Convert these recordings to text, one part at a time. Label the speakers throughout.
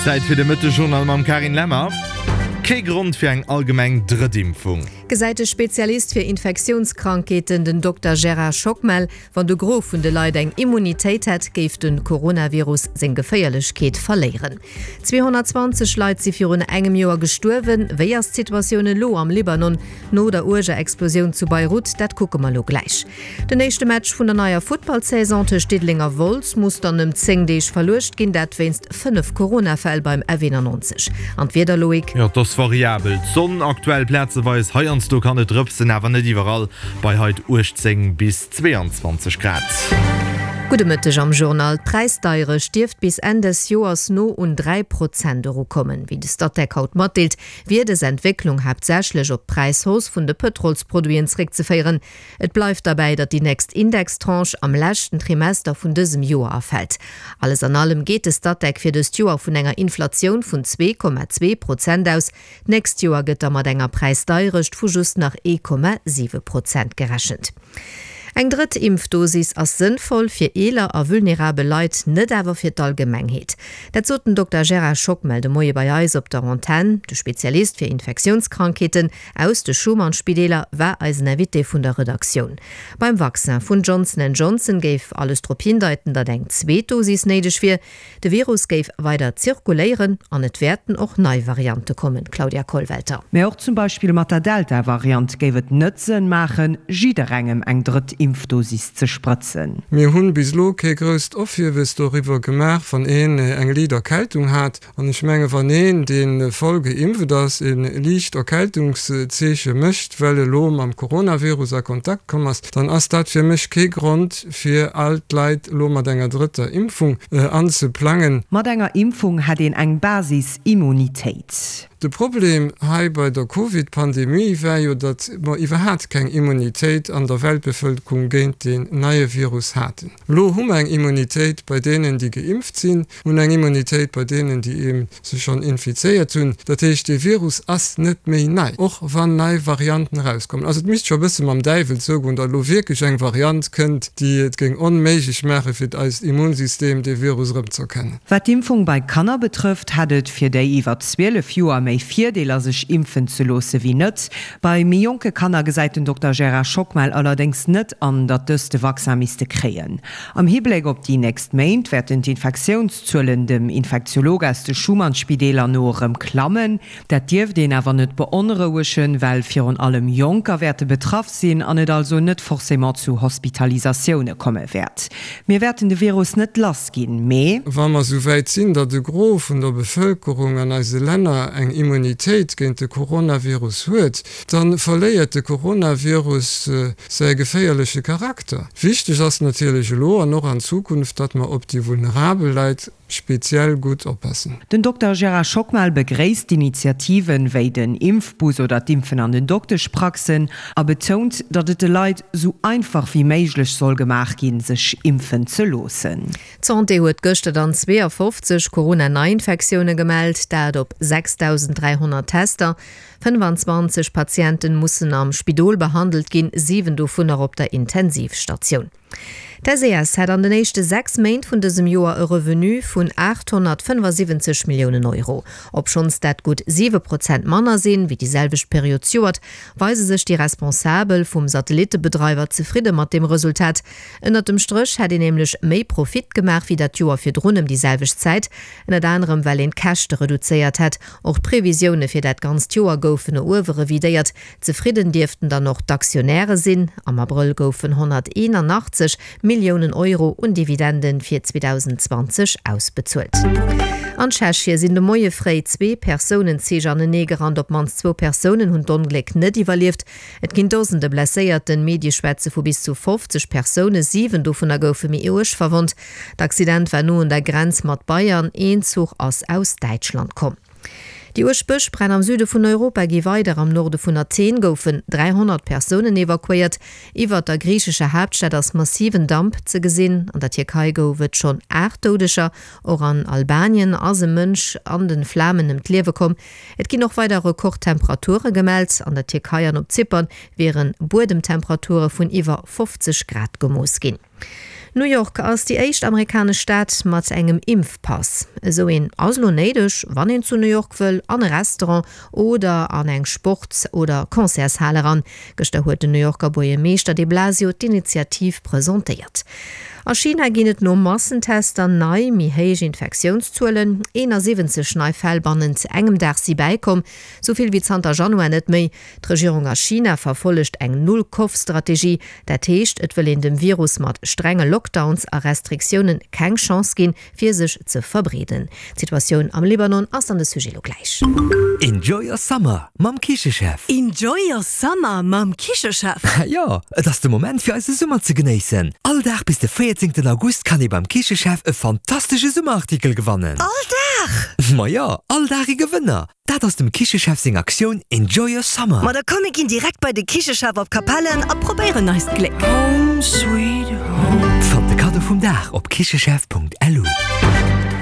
Speaker 1: Zäit fir de Mëttegjournal mam Karin Lemmer. Kee Grond fir eng allgemeng Drëttimpfung.
Speaker 2: Gesäit de Spezialist fir Infektiounskrankheeten, den Dokter Gérard Schockmel. Wann de Gros vun de Leit eng Immunitéit hätt, géif de Coronavirus seng Geféierlechkeet verléieren. 220 Leit si virun engem Joer gestuerwen. Wéi ass d'Situatioun elo am Libanon no der uerger Explosioun zu Beirut? Dat kucke mer elo gläich. Den éischte Match vun der neier Futtballsaison tëscht Diddeleng a Wolz muss dann ëm 10 Deeg verluecht ginn, dat wéinst 5 Corona-Fäll beim F91. An d'Wieder, Loïc?
Speaker 1: Jo, et ass variabel. D'Sonn aktuell plazeweis, heiansdo kann et drëpsen, awer net iwwerall. Bei haut 18 bis 22 Grad.
Speaker 2: Gudde Mëtteg am Journal. D'Präisdeierecht dierft bis Enn des Joers no un 3 Prozent erukommen. Wéi de Statec haut matdeelt, wier dës Entwécklung haaptsächlech op d'Präishausse vun de Pëtrolsproduiten zeréckzeféieren. Et bleift derbäi, datt déi nächst Indextranche am leschten Trimester vun dësem Joer erfält. Alles an allem geet de Statec fir dëst Joer vun enger Inflatioun vun 2,2 Prozent aus. D'nächst Joer gëtt da mat enger Präisdeierecht vu just nach 1,7 Prozent gerechent. Eng drëtt Impfdosis ass sënnvoll fir eeler a vulnerabel Leit, net awer fir d'Allgemengheet. Dat sot den Dokter Gérard Schockmel de Moie bei eis op der Antenn. De Spezialist fir Infektiounskrankheeten aus de Schuman-Spideeler war eisen Invité vun der Redaktioun. Beim Vaccin vun Johnson and Johnson géif alles drop hindeiten, datt eng zweet Dosis néideg wier. De Virus géif weider zirkuléieren an et wäerten och nei Variante kommen, Claudia Kollwelter.
Speaker 3: Mä och zum Beispill mat der Delta-Variant géif et net Sënn maachen, jidderengem eng drëtt Impfdosis ze sprëtzen.
Speaker 4: Mir hunn bis elo kee grousst Ophiewes doriwwer gemaach, wann een eng liit Erkältung hat. An ech menge wann een, dee voll geimpft ass, e liicht Erkältungszeeche mécht, well e lo mam Coronavirus a Kontakt komm ass, dann ass dat fir mech kee Grond, fir all d'Leit elo mat enger drëtter Impfung anzeplangen.
Speaker 3: Mat enger Impfung hätt een eng Basis-Immunitéit.
Speaker 4: De Problem hei bei der Covid-Pandemie war jo, datt mer iwwerhaat keng Immunitéit an der Weltbevëlkerung géint deen neie Virus haten. Elo hu mer eng Immunitéit bei deenen, déi geimpft sinn, hunn eng Immunitéit bei deenen, déi ee sech schonn infizéiert hunn. Dat heescht, dee Virus ass net méi nei, och wann nei Varianten erauskommen. Also et misst scho e bësse mam Däiwel zougoen, datt elo wierklech eng Variant kënnt, déi et géing onméiglech maache fir eist Immunsystem, dee Virus erëmzëerkennen.
Speaker 3: Wat d'Impfung bei Kanner betrëfft, hätt et fir déi iwwer 12 Joer méi Virdeeler, sech impfen ze loosse wéi net. Bei méi jonke Kanner gesäit den Dokter Gérard Schockmel allerdéngs net an, datt dës de Vaccin misste kréien. Am Hibléck op déi nächst Méint wäerten d'Infektiounszuelen dem Infektiolog aus de Schuman-Spideeler no erëm klammen. Dat dierft een awer net beonrouegen, well virun allem Jonker wäerte betraff sinn an et also net forcément zu Hospitalisatioune komme wäert. Mir wäerten de Virus net lass ginn, mee.
Speaker 4: Wa mer esou wäit sinn, datt e Gros vun der Bevëlkerung an eise Länner eng Immunitéit géint de Coronavirus huet, da verléiert de Coronavirus säi geféierleche Charakter. Wichteg ass natierlech elo an och an Zukunft, datt mer op déi vulnerabel Leit speziell gutt oppassen.
Speaker 3: Den Dokter Gérard Schockmel begréisst d'Initiativen, wéi den Impfbus oder d'Impfen an den Dokteschpraxen a betount, datt et de Leit sou einfach wéi méiglech soll gemaach ginn, sech impfen ze loossen.
Speaker 2: D'Santé huet gëschter dann 52 Corona-Neiinfektioune gemellt, dat op 6.300 Tester. 25 Patienten mussen am Spidol behandelt ginn, 7 dovunner op der Intensivstatioun. D'SES hat an den éischte 6 Méint vun dësem Joer e Revenu vun 875 Milliounen Euro. Obschonns dat gutt 7 Prozent manner sinn, wéi déi selwecht Period zejoert, weise sech déi Responsabel vum Satellittebedreiwer zefridde mat deem Resultat. Ënnert dem Stréch hätt een nämlech méi Profit gemaach, wéi dat Joer virdrun ëm déi selwecht Zäit. Ënnert anerem well een d'Käschte reduzéiert hätt. Och d'Previsioune fir dat ganzt Joer goufen no uewe revidéiert. Zefridden dierften dann och d'Aktionäre sinn. Am Abrëll goufen 181 Milliounen Euro un Dividende fir 2020 ausbezuelt. An Tschechie sinn de Moie fréi zwee Persounenzich aneneegerannt. Op d'mannst zwou Persounen hunn d'Ongléck net iwwerlieft. Et ginn Dosende Blesséierten. Medie schwätze vu bis zu 50 Persounen, 7 dovunner goufe méi uerg verwonnt. D'Accident war no un der Grenz mat Bayern, een Zuch ass aus Däitschland komm. Déi uerg Bëschbränn am Süde vun Europa gi weider. Am Norde vun Athen goufen 300 Persounen evakuéiert. Iwwert der griichescher Haaptstad ass massiven Damp ze gesinn. An der Tierkei gouf et schonn 8 Doudeger. Och an Albanien ass e Mënsch an de Flamen ëm d'Liewe komm. Et ginn och weider Rekordtemperature gemellt. An der Tierkei an op Zypern wiere Buedemtemperature vun iwwer 50 Grad gemooss ginn. New York ass déi éischt amerikanesch Stad mat engem Impfpass. Esou een ass elo néideg, wann een zu New York wëll an e Restaurant oder an eng Sports oder Concertshal eran. Gëschter huet den New Yorker Buergermeeschter de Blasio d'Initiativ presentéiert. A China ginn et no Massentester nei méi héich Infektiounszuelen. 71 nei Fäll bannent engem Dag si bäikomm, sou vill wéi zanter Januar net méi. D'Regierung a China verfollegt eng Null-Kov-Strategie. Dat heescht, et wëll een dem Virus mat strenge Lockdowns a Restriktioune keng Chance ginn, fir sech ze verbreeden. D'Situatioun am Libanon ass dann de Sujet lo gläich.
Speaker 5: Enjoy your summer mam Kichechef!
Speaker 6: Enjoy your summer mam Kichechef!
Speaker 5: Jo, et ass de Moment fir eise Summer ze genéissen! All Dag bis de 14 August kann ee beim Kichechef e fantastesche Summerartikel gewannen!
Speaker 6: All Dag?
Speaker 5: Ma jo, all Dag e Gewënner! Dat ass dem Kichechef seng Aktioun Enjoy your summer!
Speaker 6: Ma da komm mir ginn direkt bei de Kichechef op Capellen a probéieren eist Gléck.
Speaker 5: Fannt de Kaddo vum Dag op kichechef.lu.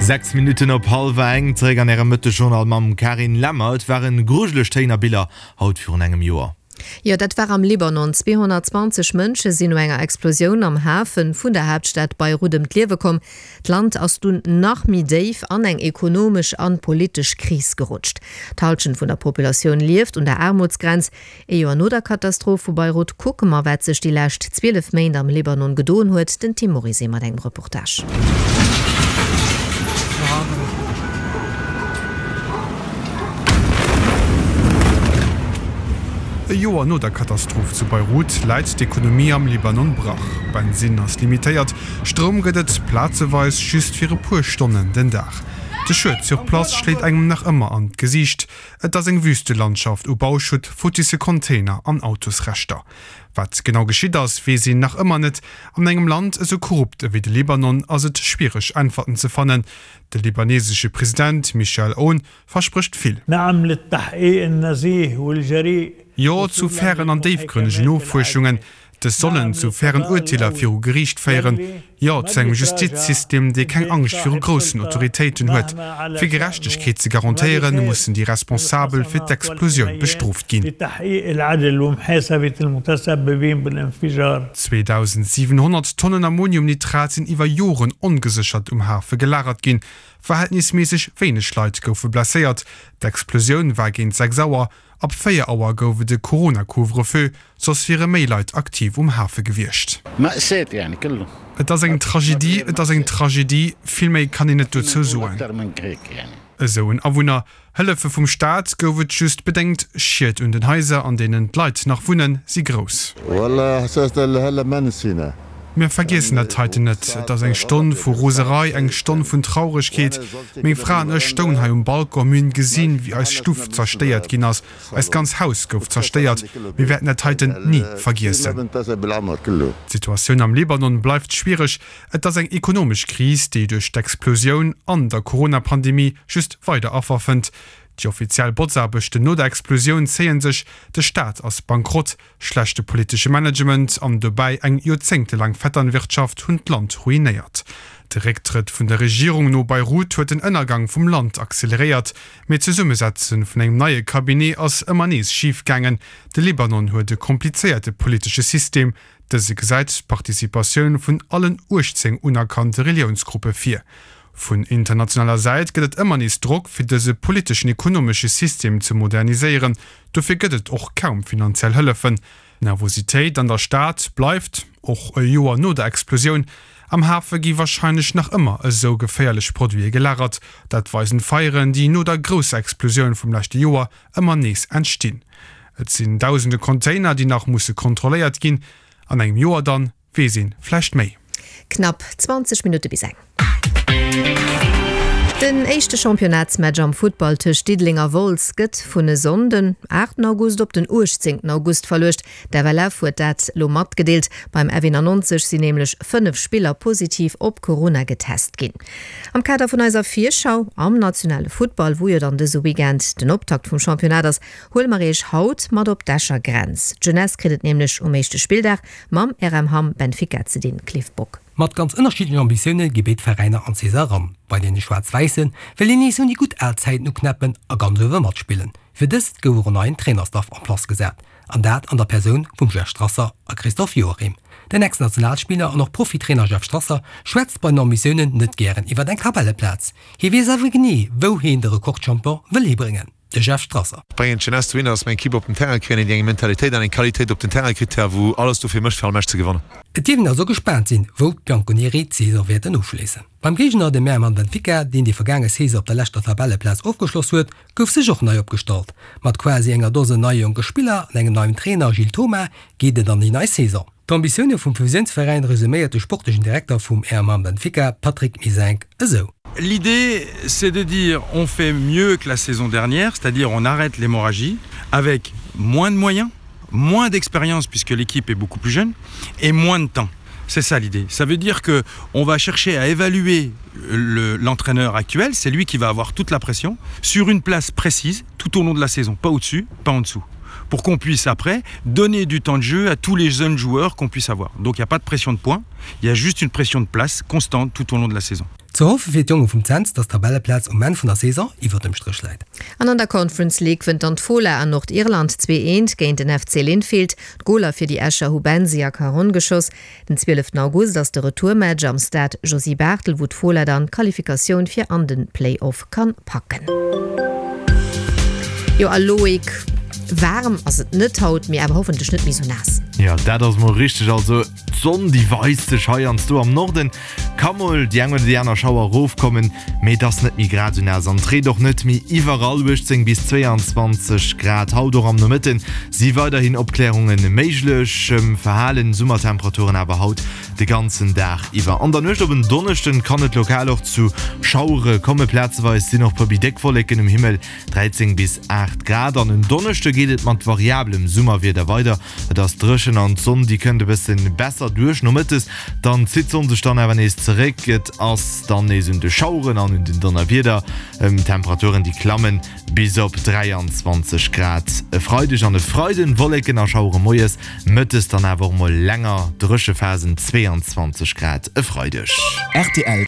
Speaker 1: 6 Minutten op hallwer eng, zeréck an Ärem Mëttegjournal mam Carine Lemmer. Et waren grujeleg Téin a Biller haut virun engem Joer.
Speaker 2: Jo, dat war am Libanon. 220 Mënsche sinn no enger Explosioun am Hafe vun der Haaptstad Beirut ëm d'Liewe komm. D'Land ass dunn nach méi déif an eng ekonomesch an politesch Kris gerutscht. D'Hallschent vun der Populatioun lieft un der Aarmutsgrenz. Ee Joer no der Katastroph vu Beirut kucke mer, wat sech déi lescht 12 Méint am Libanon gedoen huet. Den Tim Morizet mat engem Reportage.
Speaker 7: E Joer no der Katastroph zu Beirut läit d'Ekonomie am Libanon brach. Bensinn ass limitéiert, Stroum gëtt et plazeweis just fir e puer Stonnen den Dag. De Schued sur place schléit engem nach ëmmer an d'Gesiicht. Et ass eng Wüstelandschaft u Bauschutt, futtisse Container an Autosreschter. Wat genau geschitt ass, weess een nach ëmmer net. An engem Land esou korrupt ewéi de Libanon ass et schwiereg Äntwerten ze fannen. De libanesesche President Michel Aoun versprécht vill. Jo zu fairen an déifgrënnegen Nofuerschungen. Dës sollen zu fairen Urteeler viru Geriicht féieren. Jo zu engem Justizsystem, dee keng Angscht viru groussen Autoritéiten huet. Fir Gerechtegkeet ze garantéieren, mussen déi Responsabel fir d'Explosioun bestrooft ginn. 2.700 Tonnen Ammoniumnitrat sinn iwwer Joren ongeséchert um Hafe gelagert ginn. Verhältnisméisseg wéineg Leit goufe blesséiert. D'Explosioun war géint 6 Auer. Ab 4 Auer gouf et e Corona-Couvre-feu, soss wiere méi Leit aktiv um Hafe gewiescht. Et ass eng Tragedie, et ass eng Tragedie, vill méi kann een net dozou soen. Esou en Awunner. Hëllefe vum Staat gouf et just bedéngt. Schied un den Haiser, an deenen d'Leit nach wunnen, si grouss. Mir vergiessen dat heiten net. Et ass eng Stonn vu Roserei, eng Stonn vun Trauregkeet. Meng Fra an ech stoungen hei um Balcon, mir hunn gesinn, wéi eis Stuff zerstéiert ginn ass. Eist ganz Haus gouf zerstéiert. Mir wäerten dat heiten ni vergiessen. D'Situatioun am Libanon bleift schwiereg. Et ass eng ekonomesch Kris, déi duerch d'Explosioun an der Corona-Pandemie just weider Affer fënnt. Déi offiziell Botzaarbechten no der Explosioun zéie sech, de Staat ass bankrott, Schlechte politesche Management an dobäi eng joerzéngtelaang Vetternwirtschaft hunn d'Land ruinéiert. De Récktrëtt vun der Regierung no Beirut huet den Ënnergang vum Land acceleréiert, mee d'Zesummesetze vun engem neie Cabinet ass ëmmer nees schif gaangen. De Libanon huet e komplizéierte politesche System. Dëse gesäit d'Participatioun vun allen 18 unerkannte Reliounsgruppe vir. Vun internationaler Säit gëtt et ëmmer nees Drock, fir dëse politeschen-ekonomesche System ze moderniséieren. Dofir gëtt et och kaum finanziell Hëllefen. D'Nervositéit an der Stad bleift, och e Joer no der Explosioun. Am Hafe gi warscheinlech nach ëmmer esou geféierlech Produite gelagert. Dat weisen d'Feieren, déi no der grousser Explosioun vum leschte Joer ëmmer nees entstinn. Et sinn dausende Container, déi nach musse kontrolléiert ginn. An engem Joer dann Weess een vläicht méi?
Speaker 2: Knapp 20 Minutte bis eng. Den éischte Championnatsmatch am Futtball tëscht Diddeleng a Wolz gëtt vun e Sonnden, 8 August, op den 18 August verluecht. D'FLF huet dat elo matgedeelt. Beim F91 sinn nämlech 5 Spiller positiv op Corona getest ginn. Am Kader vun eiser Virschau am nationale Futtball, wou jo dann dëse Weekend den Optakt vum Championnat ass, huele mer iech haut mat op d'Escher Grenz. D'Jeunesse kritt et nämlech um éischte Spilldag Mam RM Hamm Benfica ze dinn, Cliff Bock.
Speaker 8: Mat ganz ënnerschiddlechen Ambitioune gi béid Veräiner an d'Saison eran. Bei deene Schwaarz-Wäisse wëll een nees un déi gutt al Zäiten uknäppen a ganz uewe matspillen. Fir dëst gouf och en neien Trainerstaff en place gesat, an dat an der Persoun vum Jeff Strasser a Christophe Joachim. Den Ex-Nationalspiller an och Profitrainer Jeff Strasser schwätzt bei den Ambitiounen net gären iwwer eng Tabelleplaz. Hie weess awer genee, wou heen de Rekordchampion wëll hibréngen. De Jeff Strasser.
Speaker 9: Bréngen d'Jeunesse dohinner, dass mer eng Equipe op den Terrain kréien, déi eng Mentalitéit an eng Qualitéit op den Terrain kritt, wou alles dofir mécht, fir all Match ze gewannen.
Speaker 8: Et dierf een also gespaant sinn, wou d'Bianconeri d'Saison wäerten ofschléissen. Beim Géigner, dem Merman Benfica, deen déi vergaange Saison op der leschter Tabelleplaz ofgeschloss huet, gouf sech och nei opgestallt. Mat quasi enger Dose neie jonke Spiller an engem neien Trainer, Gilles Thoma, geet et an déi nei Saison. D'Ambitioune vum Fusiounsveräin resuméiert de sportlechen Direkter vum Airman Benfica, Patrick Misenk, esou.
Speaker 10: L'idée, c'est de dire on fait mieux que la saison dernière, c'est-à-dire on arrête l'hémorragie avec moins de moyens, moins d'expérience puisque l'équipe est beaucoup plus jeune et moins de temps. C'est ça l'idée. Ça veut dire que on va chercher à évaluer l'entraîneur actuel, c'est lui qui va avoir toute la pression sur une place précise tout au long de la saison, pas au-dessus, pas en dessous pour qu'on puisse après donner du temps de jeu à tous les jeunes joueurs qu'on puisse avoir. Donc il n'y a pas de pression de points, il y a juste une pression de place constante tout au long de la saison.
Speaker 8: Ze hoffe fir d'Jonge vum Cents, dass d'Tabelleplaz um Enn vun der Saison iwwer dem Stréch läit.
Speaker 2: An an der Conference League wënnt dann d'Fola an Nordirland 2, 1 géint den FC Linfield. D'Goler fir déi Escher hu Bensi a Caron geschoss. Den 12 August ass de Retourmatch am Stade Josy Barthel, wou d'Fola dann d'Qualifikatioun fir an de Play-Off kann packen. Jo a Loïc, waarm ass et net haut, mee awer hoffentlech net méi sou naass.
Speaker 1: Jo, dat ass mol richteg. Also d'Sonn déi weist sech heiansdo am Norden, ka mol déi eng oder déi aner Schauer erofkommen, mee et ass net méi grad esou naass an et reent och net méi iwwerall. 18 bis 22 Grad haut och am Nomëtten si weiderhin Opklärunge méiglech, verhalen Summertemperaturen awer haut de ganzen Dag iwwer. An der Nuecht op en Donneschden kann et lokal och zu Schauere komme, plazeweis sinn och puer méi déck Wolleken um Himmel, 13 bis 8 Grad. An en Donneschde geet et mat variablem Summerwieder weider, et ass dréchen an d'Sonn déi kënnt e bësse besser duerch. Nomëttes dann zitt d'Sonn sech dann awer nees zeréck, et ass dann nees un de Schaueren an un den Donnerwieder. D'Temperaturen déi klammen Bis op 23 Grad e Freideg an e Freiden, Wolleken a Schauere moies, mëttes dann awer och mol länger dréche Phasen, 22 Grad e Freideg.
Speaker 5: Rtl.